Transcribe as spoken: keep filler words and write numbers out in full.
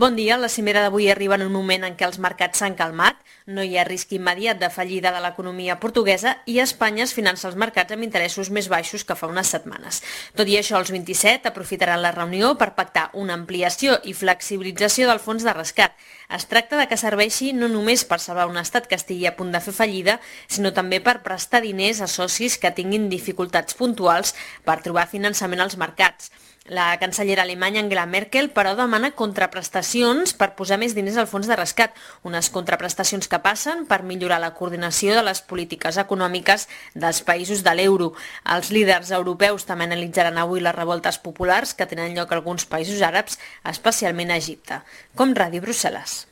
Bon dia. La cimera d'avui arriba en un moment en què els mercats s'han calmat, no hi ha risc immediat de fallida de l'economia portuguesa i Espanya es finança els mercats amb interessos més baixos que fa unes setmanes. Tot i això, els vint-i-set aprofitaran la reunió per pactar una ampliació i flexibilització del fons de rescat. Es tracta de que serveixi no només per salvar un estat que estigui a punt de fer fallida, sinó també per prestar diners a socis que tinguin dificultats puntuals per trobar finançament als mercats. La cancellera alemanya Angela Merkel, però, demana contraprestacions per posar més diners al fons de rescat, unes contraprestacions que passen per millorar la coordinació de les polítiques econòmiques dels països de l'euro. Els líders europeus també analitzaran avui les revoltes populars que tenen lloc a alguns països àrabs, especialment a Egipte. Com Ràdio Brussel·les.